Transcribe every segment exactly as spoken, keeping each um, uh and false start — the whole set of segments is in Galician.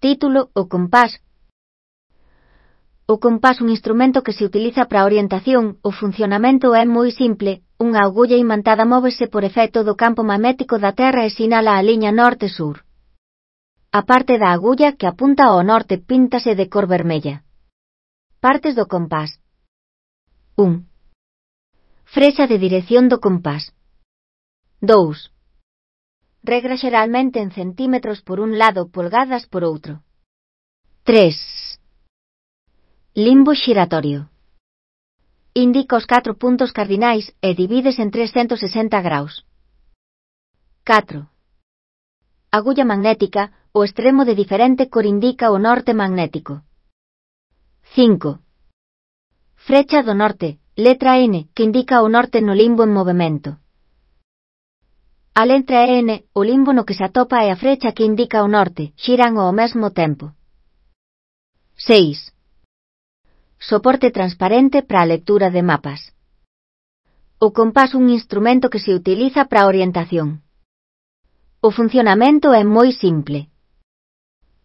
Título: O compás. O compás un instrumento que se utiliza para a orientación. O funcionamento é moi simple. Unha agulla imantada móvese por efecto do campo magnético da Terra e sinala a liña norte-sur. A parte da agulla que apunta ao norte píntase de cor vermella. Partes do compás. un. Frexa de dirección do compás. dous. Regra xeralmente en centímetros por un lado, polgadas por outro. tres. Limbo xiratorio. Indica os catro puntos cardinais e divides en trescentos sesenta graus. catro. Agulla magnética, o extremo de diferente cor indica o norte magnético. cinco. Frecha do norte, letra N, que indica o norte no limbo en movemento. A letra N, o limbo no que se atopa, e a frecha que indica o norte, xiran ao mesmo tempo. seis. Soporte transparente para a lectura de mapas. O compás un instrumento que se utiliza para a orientación. O funcionamento é moi simple.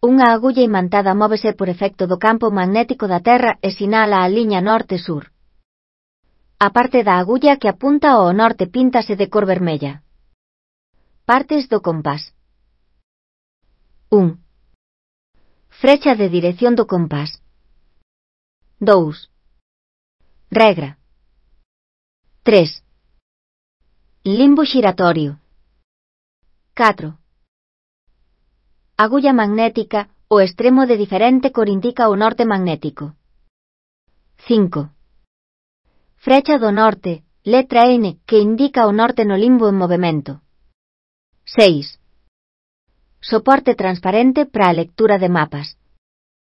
Unha agulla imantada móvese por efecto do campo magnético da Terra e sinala a liña norte-sur. A parte da agulla que apunta ao norte píntase de cor vermella. Partes do compás. un. Frecha de dirección do compás. dous. Regra. tres. Limbo xiratorio. catro. Agulla magnética, o extremo de diferente cor indica o norte magnético. cinco. Frecha do norte, letra N, que indica o norte no limbo en movemento. seis. Soporte transparente para a lectura de mapas.